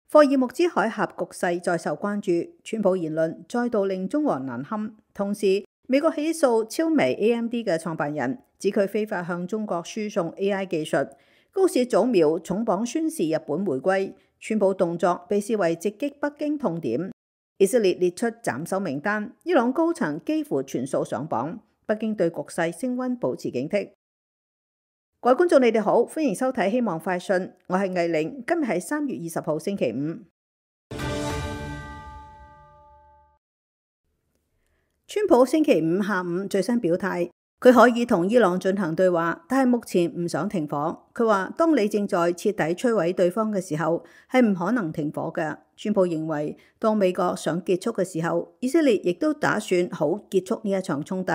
霍爾木茲海峽局勢再受關注，川普言論再度令中俄難堪。同時，美國起訴超微 AMD 嘅創辦人，指佢非法向中國輸送 AI 技術。高市早苗重磅宣示日本回歸，川普動作被視為直擊北京痛點。以色列列出斬首名單，伊朗高層幾乎全數上榜。北京對局勢升溫保持警惕。各位觀眾，你哋好，歡迎收睇《希望快訊》，我係藝玲。今日係3月20號星期五。川普星期五下午最新表態，佢可以同伊朗進行對話，但係目前唔想停火。佢話：當你正在徹底摧毀對方嘅時候，係唔可能停火嘅。川普認為，當美國想結束嘅時候，以色列亦都打算好結束呢一場衝突。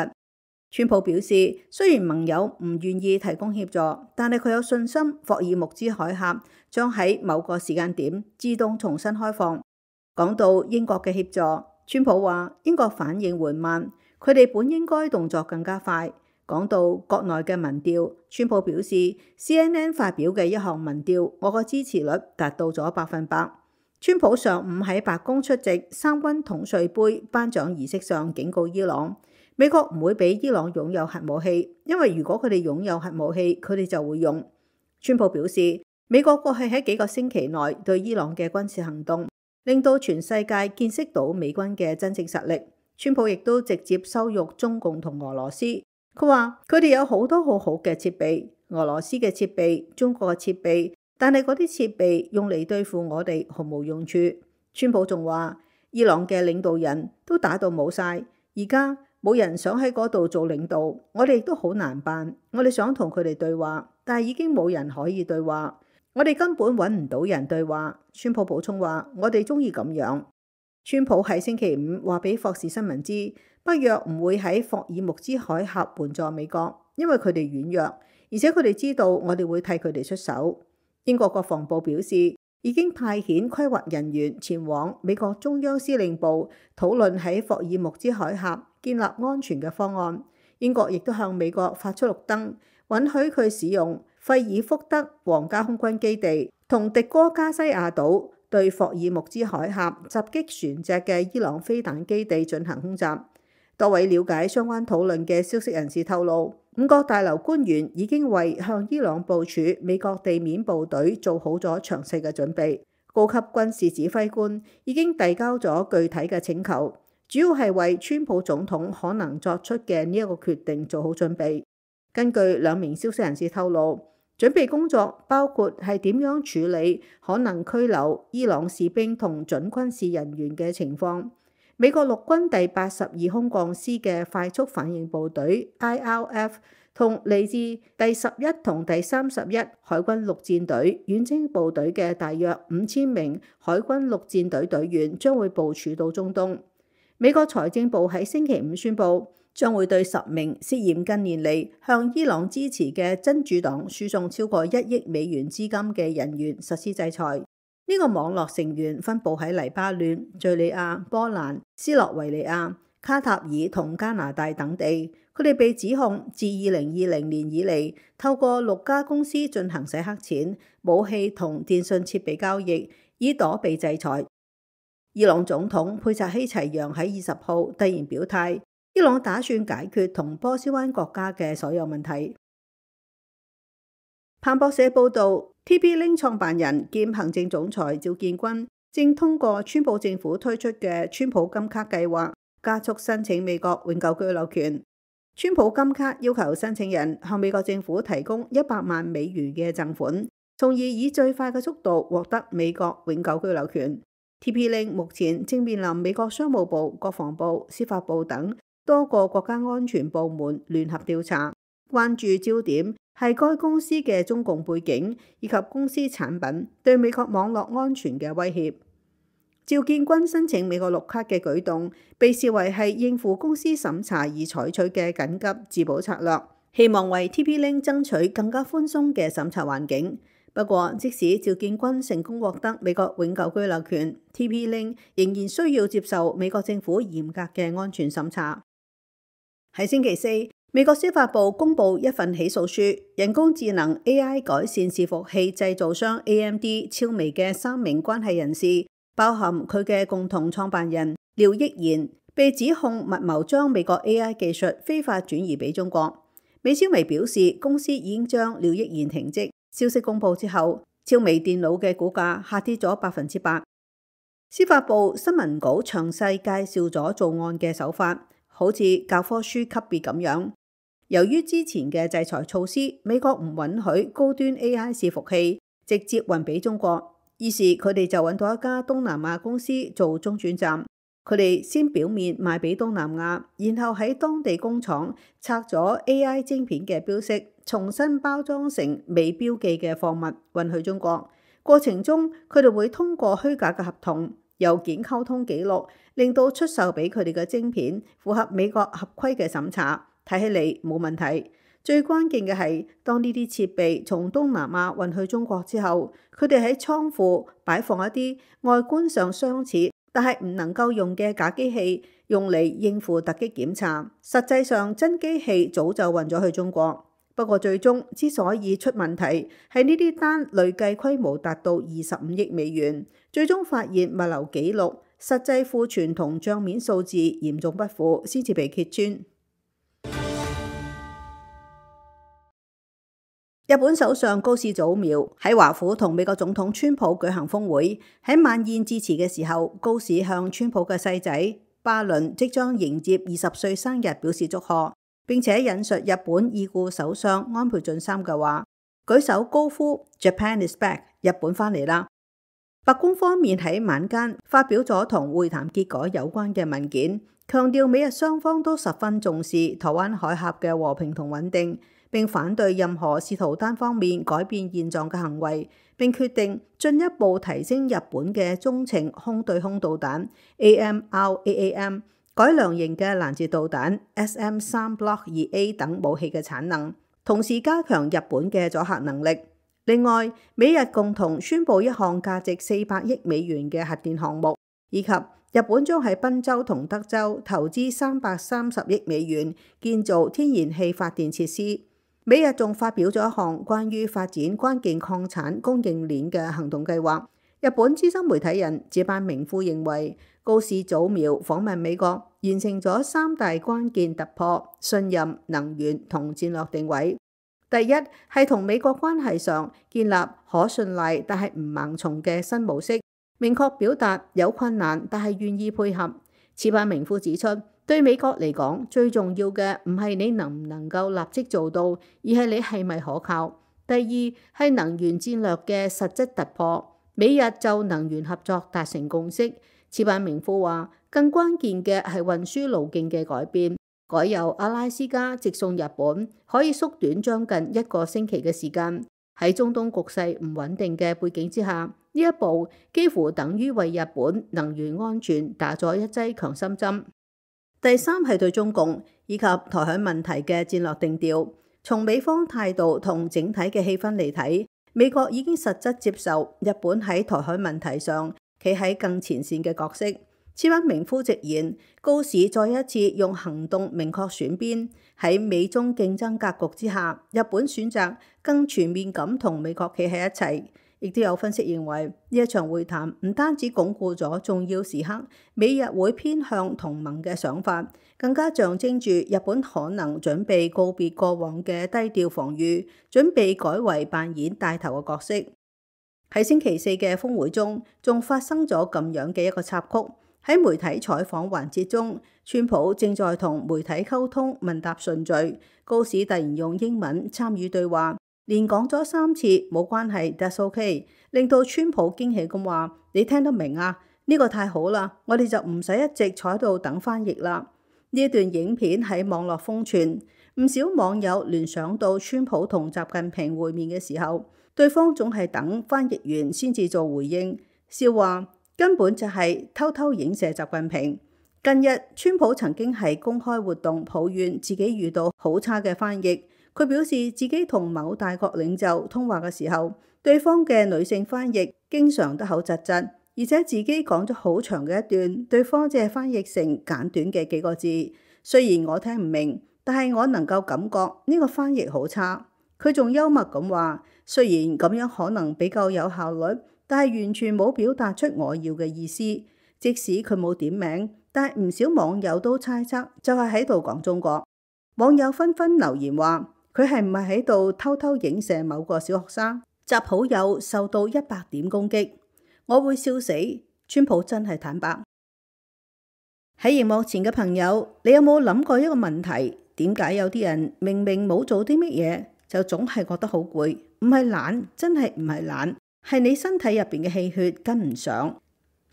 川普表示，雖然盟友唔願意提供協助，但係佢有信心霍爾木茲海峽將喺某個時間點自動重新開放。講到英國嘅協助，川普話英國反應緩慢，佢哋本應該動作更加快。講到國內嘅民調，川普表示 CNN 發表嘅一項民調，我個支持率達到咗100%。川普上午喺白宮出席三軍統帥盃頒獎儀式上警告伊朗，美國唔會俾伊朗擁有核武器，因為如果佢哋擁有核武器，佢哋就會用。川普表示，美國過去喺幾個星期內對伊朗嘅軍事行動，令到全世界見識到美軍嘅真正實力。川普亦都直接羞辱中共同俄羅斯，佢話佢哋有好多好好嘅設備，俄羅斯嘅設備、中國嘅設備，但係嗰啲設備用嚟對付我哋毫無用處。川普仲話，伊朗嘅領導人都打到冇晒，而家冇人想喺嗰度做領導，我哋亦都好難辦。我哋想同佢哋對話，但係已經冇人可以對話，我哋根本揾唔到人對話。川普補充話，我哋中意咁樣。川普喺星期五話俾霍士新聞知，北約唔會喺霍爾木茲海峽援助美國，因為佢哋軟弱，而且佢哋知道我哋會替佢哋出手。英國國防部表示，已經派遣規劃人員前往美國中央司令部討論喺霍爾木茲海峽建立安全嘅方案。英國亦都向美國發出綠燈，允許佢使用費爾福德皇家空軍基地同迪戈加西亞島對霍爾木茲海峽襲擊船隻嘅伊朗飛彈基地進行空襲。多位了解相關討論嘅消息人士透露，5角大樓官員已經為向伊朗部署美國地面部隊做好咗詳細嘅準備。高級軍事指揮官已經遞交咗具體嘅請求，主要係為川普總統可能作出嘅呢一個決定做好準備。根據2名消息人士透露，準備工作包括係點樣處理可能拘留伊朗士兵同準軍事人員嘅情況。美國陸軍第82空降師嘅快速反應部隊 IRF 同嚟自第11同第31海軍陸戰隊遠征部隊嘅大約5000名海軍陸戰隊隊員將會部署到中東。美國財政部喺星期五宣布，將會對10名涉嫌近年嚟向伊朗支持嘅真主黨輸送超過1億美元資金嘅人員實施制裁。呢個網絡成員分佈喺黎巴嫩、敘利亞、波蘭、斯洛維尼亞、卡塔爾同加拿大等地。佢哋被指控自2020年以嚟，透過6家公司進行洗黑錢、武器同電信設備交易，以躲避制裁。伊朗總統佩扎希齊揚喺20號突然表態，伊朗打算解決同波斯灣國家嘅所有問題。彭博社報導， TP-Link 創辦人兼行政總裁趙建軍正通過川普政府推出嘅川普金卡計劃，加速申請美國永久居留權。川普金卡要求申請人向美國政府提供100萬美元嘅贈款，從而以最快嘅速度獲得美國永久居留權。TP-Link 目前正面臨美國商務部、國防部、司法部等多個國家安全部門聯合調查，關注焦點係該公司嘅中共背景以及公司產品對美國網絡安全嘅威脅。趙建軍申請美國綠卡嘅舉動被視為係應付公司審查而採取嘅緊急自保策略，希望為 TP-Link 爭取更加寬鬆嘅審查環境。不過，即使趙建軍成功獲得美國永久居留權， TP-Link 仍然需要接受美國政府嚴格嘅安全審查。喺星期四，美國司法部公布一份起訴書，人工智能 AI 改善伺服器製造商 AMD 超微嘅3名關係人士，包含佢嘅共同創辦人廖益賢，被指控密謀將美國 AI 技術非法轉移俾中國。美超微表示，公司已經將廖益賢停職。消息公布之後，超微電腦嘅股價下跌咗8%。司法部新聞稿詳細介紹咗做案嘅手法，好似教科書級別咁樣。由於之前嘅制裁措施，美國唔允許高端 AI 伺服器直接運俾中國，於是佢哋就揾到一家東南亞公司做中轉站。佢哋先表面賣俾東南亞，然後喺當地工廠拆咗 AI 晶片嘅標識，重新包裝成未標記嘅貨物運去中國。過程中，佢哋會通過虛假嘅合同、郵件溝通記錄，令到出售俾佢哋嘅晶片符合美國合規嘅審查。睇起嚟冇問題，最關鍵嘅係當呢啲設備從東南亞運去中國之後，佢哋喺倉庫擺放一啲外觀上相似但係唔能夠用嘅假機器，用嚟應付突擊檢查。實際上真機器早就運咗去中國。不過最終之所以出問題，係呢啲單累計規模達到25億美元，最終發現物流記錄、實際庫存同帳面數字嚴重不符，先至被揭穿。日本首相高市早苗喺華府同美國總統川普舉行峰會，喺晚宴致辭嘅時候，高市向川普嘅細仔巴倫即將迎接20歲生日表示祝賀，並且引述日本已故首相安倍晉三嘅話，舉手高呼 Japan is back， 日本返嚟啦。白宮方面喺晚間發表咗同會談結果有關嘅文件，強調美日雙方都十分重視台灣海峽嘅和平同穩定，並反對任何試圖單方面改變現狀嘅行為，並決定進一步提升日本嘅中程空對空導彈 AMRAAM、改良型嘅攔截導彈 SM3 Block 2A 等武器嘅產能，同時加強日本嘅阻嚇能力。另外，美日共同宣布一項價值400億美元嘅核電項目，以及日本將喺賓州同德州投資330億美元建造天然氣發電設施。美日仲發表咗一項關於發展關鍵礦產供應鏈嘅行動計劃。日本資深媒體人寺坂明夫認為，高市早苗訪問美國，完成咗3大關鍵突破：信任、能源同戰略定位。第一係同美國關係上建立可信賴但係唔盲從嘅新模式，明確表達有困難但係願意配合。寺坂明夫指出，對美國嚟講，最重要嘅唔係你能唔能夠立即做到，而係你係咪可靠。第二係能源戰略嘅實質突破，美日就能源合作達成共識。寺坂明夫話，更關鍵嘅係運輸路徑嘅改變，改由阿拉斯加直送日本，可以縮短將近1個星期嘅時間。喺中東局勢唔穩定嘅背景之下，呢一步幾乎等於為日本能源安全打咗一劑強心針。第三係對中共以及台海問題嘅戰略定調。從美方態度同整體嘅氣氛嚟睇，美國已經實質接受日本喺台海問題上企喺更前線嘅角色。寺坂明夫直言，高市再一次用行動明確選邊。喺美中競爭格局之下，日本選擇更全面咁同美國企喺一齊。亦都有分析認為，呢一場會談唔單止鞏固咗重要時刻美日會偏向同盟嘅想法，更加象徵住日本可能準備告別過往嘅低調防禦，準備改為扮演帶頭嘅角色。喺星期四嘅峰會中，仲發生咗咁樣嘅一個插曲。喺媒體採訪環節中，川普正在同媒體溝通問答順序，高市突然用英文參與對話，連講咗3次冇關係 ，That's OK， 令到川普驚喜咁話：你聽得明啊？呢個太好啦，我哋就唔使一直坐喺度等翻譯啦。呢一段影片喺網絡瘋傳，唔少網友聯想到川普同習近平會面嘅時候，對方總係等翻譯完先至做回應，笑話根本就係偷偷影射習近平。近日，川普曾經喺公開活動抱怨自己遇到好差嘅翻譯。佢表示自己同某大國領袖通話嘅時候，對方嘅女性翻譯經常得口窒窒，而且自己講咗好長嘅一段，對方只係翻譯成簡短嘅幾個字。雖然我聽唔明，但係我能夠感覺呢個翻譯好差。佢仲幽默咁話，雖然咁樣可能比較有效率，但係完全冇表達出我要嘅意思。即使佢冇點名，但係唔少網友都猜測就係喺度講中國。網友紛紛留言話，佢係唔係喺度偷偷影射某個小學生？習好友受到100點攻擊，我會笑死。川普真係坦白。喺熒幕前嘅朋友，你有冇諗過一個問題？點解有啲人明明冇做啲乜嘢，就總係覺得好攰？唔係懶，真係唔係懶，係你身體入邊嘅氣血跟唔上。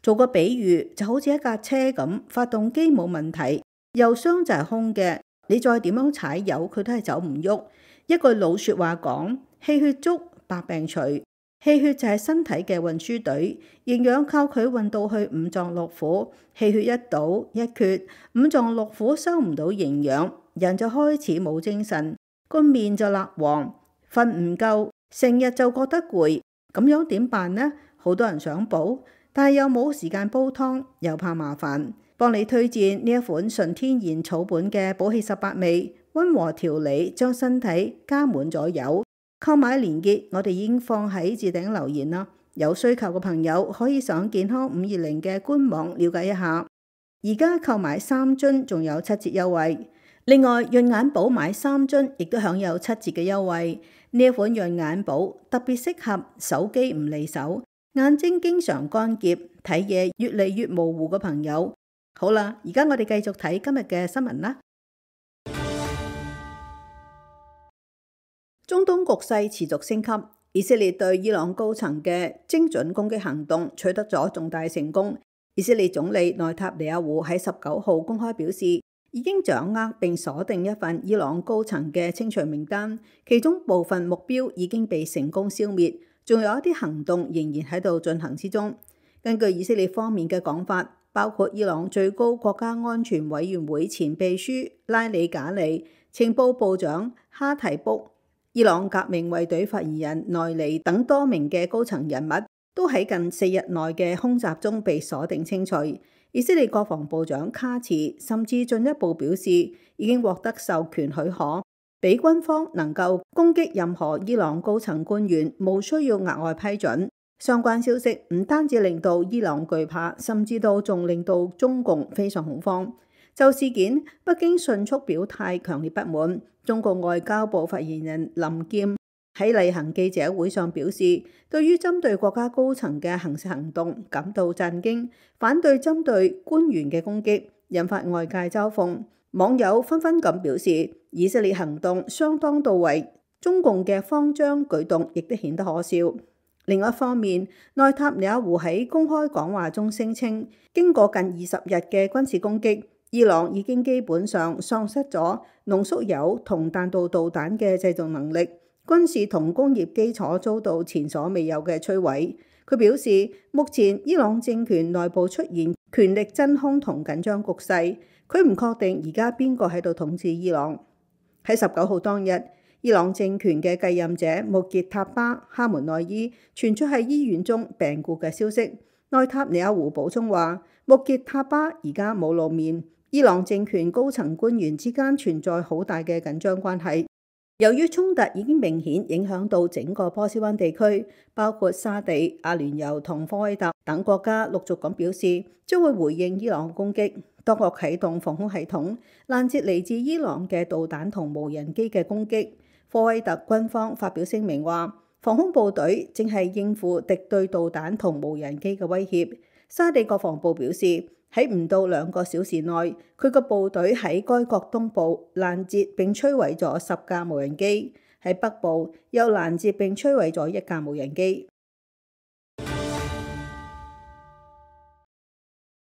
做個比喻，就好似一架車咁，發動機冇問題，油箱就係空嘅，你再點樣踩油，佢都係走唔喐。一句老說話講，氣血足，百病除。氣血就係身體嘅運輸隊，營養靠佢運到去五臟六腑。氣血一倒一缺，五臟六腑收唔到營養，人就開始冇精神，個面就蠟黃，瞓唔夠，成日就覺得攰。咁樣點辦呢？好多人想補，但係又冇時間煲湯，又怕麻煩。幫你推薦呢一款純天然草本嘅補氣18味，溫和調理，將身體加滿咗油。購買連結我哋已經放喺置頂留言啦，有需求嘅朋友可以上健康520嘅官網了解一下。而家購買3樽仲有7折優惠，另外潤眼寶買3樽亦都享有7折嘅優惠。呢一款潤眼寶特別適合手機唔離手、眼睛經常乾澀、睇嘢越嚟越模糊嘅朋友。好啦，而家我哋繼續睇今日嘅新聞啦。中東局勢持續升級，以色列對伊朗高層嘅精準攻擊行動取得咗重大成功。以色列總理內塔尼亞胡喺19號公開表示，已經掌握並鎖定一份伊朗高層嘅清除名單，其中部分目標已經被成功消滅，仲有一啲行動仍然喺度進行之中。根據以色列方面嘅講法，包括伊朗最高國家安全委員會前秘書拉里賈里、情報部長哈提卜、伊朗革命衛隊發言人內尼等多名嘅高層人物都喺近4日內嘅空襲中被鎖定清除。以色列國防部長卡茨甚至進一步表示，已經獲得授權許可，俾軍方能夠攻擊任何伊朗高層官員，無需要額外批准。相關消息唔單止令到伊朗懼怕，甚至仲令到中共非常恐慌。就事件，北京迅速表態強烈不滿。中國外交部發言人林劍喺例行記者會上表示，對於針對國家高層嘅行事行動感到震驚，反對針對官員嘅攻擊，引發外界嘲諷。網友紛紛咁表示，以色列行動相當到位，中共嘅慌張舉動亦都顯得可笑。另一方面，內塔尼亞胡喺公開講話中聲稱，經過近20日嘅軍事攻擊，伊朗已經基本上喪失咗濃縮鈾同彈道導彈嘅製造能力，軍事同工業基礎遭到前所未有嘅摧毀。佢表示，目前伊朗政權內部出現權力真空同緊張局勢，佢唔確定而家邊個喺度統治伊朗。喺19號當日，伊朗政權嘅繼任者穆傑塔巴哈門內伊傳出喺醫院中病故嘅消息。內塔尼亞胡補充話，穆傑塔巴而家冇露面。伊朗政權高層官員之間存在好大嘅緊張關係。由於衝突已經明顯影響到整個波斯灣地區，包括沙地、阿聯酋同科威特等國家陸續咁表示將會回應伊朗攻擊，多國啟動防空系統，攔截嚟自伊朗嘅導彈同無人機嘅攻擊。科威特軍方發表聲明話，防空部隊正係應付敵對導彈同無人機嘅威脅。沙地國防部表示，喺唔到2個小時內，佢個部隊喺該國東部攔截並摧毀咗10架無人機，喺北部又攔截並摧毀咗1架無人機。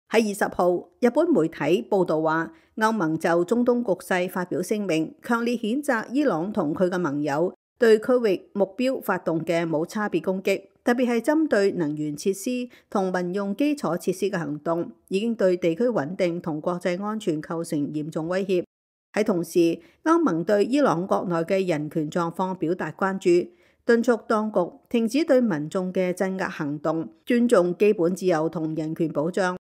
喺20號，日本媒體報道話，歐盟就中東局勢發表聲明，強烈譴責伊朗同佢嘅盟友對區域目標發動嘅冇差別攻擊，特別係針對能源設施同民用基礎設施嘅行動，已經對地區穩定同國際安全構成嚴重威脅。喺同時，歐盟對伊朗國內嘅人權狀況表達關注，敦促當局停止對民眾嘅鎮壓行動，尊重基本自由同人權保障。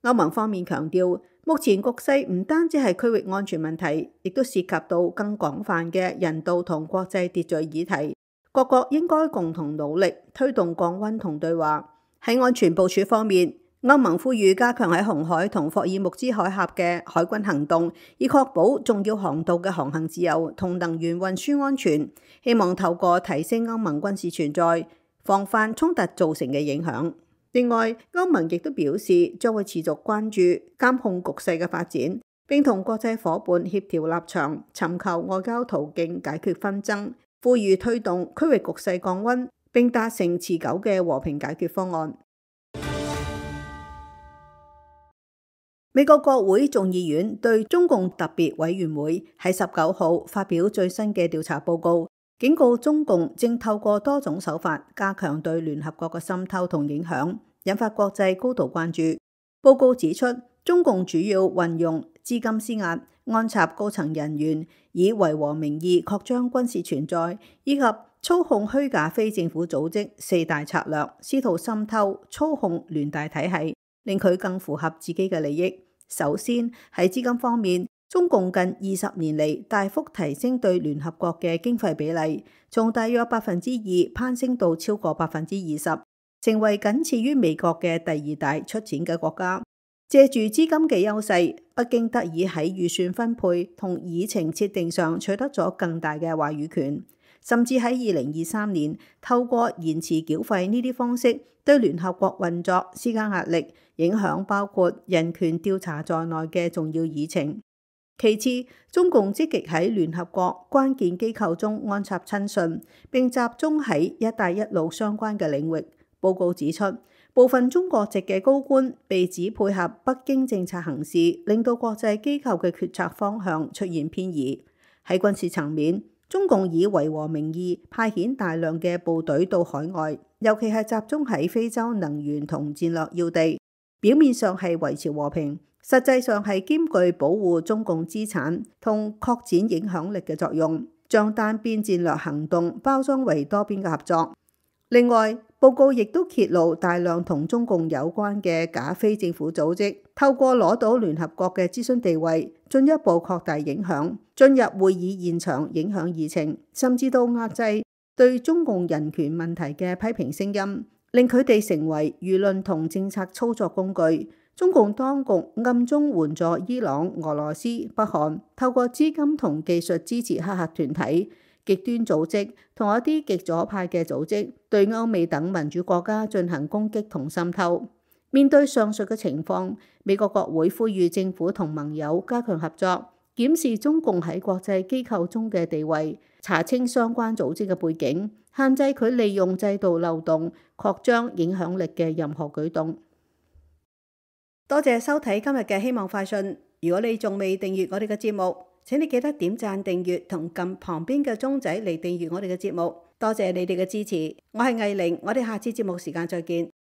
歐盟方面強調，目前局勢唔單止係區域安全問題，亦都涉及到更廣泛嘅人道同國際秩序議題。各國應該共同努力推動降溫同對話。喺安全部署方面，歐盟呼籲加強喺紅海同霍爾木茲海峽嘅海軍行動，以確保重要航道嘅航行自由同能源運輸安全。希望透過提升歐盟軍事存在，防範衝突造成嘅影響。另外，歐盟亦都表示將會持續關注監控局勢嘅發展，並同國際夥伴協調立場，尋求外交途徑解決紛爭，呼籲推動區域局勢降溫，並達成持久嘅和平解決方案。美國國會眾議院對中共特別委員會喺19號發表最新嘅調查報告，警告中共正透過多種手法加強對聯合國嘅滲透同影響，引發國際高度關注。報告指出，中共主要運用資金施壓、安插高層人員，以維和名義擴張軍事存在，以及操控虛假非政府組織四大策略，試圖滲透操控聯大體系，令佢更符合自己嘅利益。首先喺資金方面，中共近20年嚟大幅提升對聯合國嘅經費比例，從大約2%攀升到超過20%，成為僅次於美國嘅第2大出錢嘅國家。借住資金嘅優勢，北京得以喺預算分配同議程設定上取得咗更大嘅話語權，甚至喺2023年透過延遲繳費呢啲方式對聯合國運作施加壓力，影響包括人權調查在內嘅重要議程。其次，中共積極喺聯合國關鍵機構中安插親信，並集中喺一帶一路相關嘅領域。報告指出，部分中國籍嘅高官被指配合北京政策行事，令到國際機構嘅決策方向出現偏移。喺軍事層面，中共以維和名義派遣大量嘅部隊到海外，尤其係集中喺非洲能源同戰略要地，表面上係維持和平，實際上係兼具保護中共資產同擴展影響力嘅作用，將單邊戰略行動包裝為多邊嘅合作。另外，報告亦都揭露大量同中共有關嘅假非政府組織，透過攞到聯合國嘅諮詢地位，進一步擴大影響，進入會議現場影響議程，甚至到壓制對中共人權問題嘅批評聲音，令佢哋成為輿論同政策操作工具。中共當局暗中援助伊朗、俄羅斯、北韓，透過資金同技術支持黑客團體、極端組織同一啲極左派嘅組織，對歐美等民主國家進行攻擊同滲透。面對上述嘅情況，美國國會呼籲政府同盟友加強合作，檢視中共喺國際機構中嘅地位，查清相關組織嘅背景，限制佢利用制度漏洞擴張影響力嘅任何舉動。多謝收睇今日嘅希望快訊。如果你仲未訂閱我哋嘅節目，請你記得點讚、訂閱同撳旁邊嘅鐘仔嚟訂閱我哋嘅節目。多謝你哋嘅支持，我係藝玲，我哋下次節目時間再見。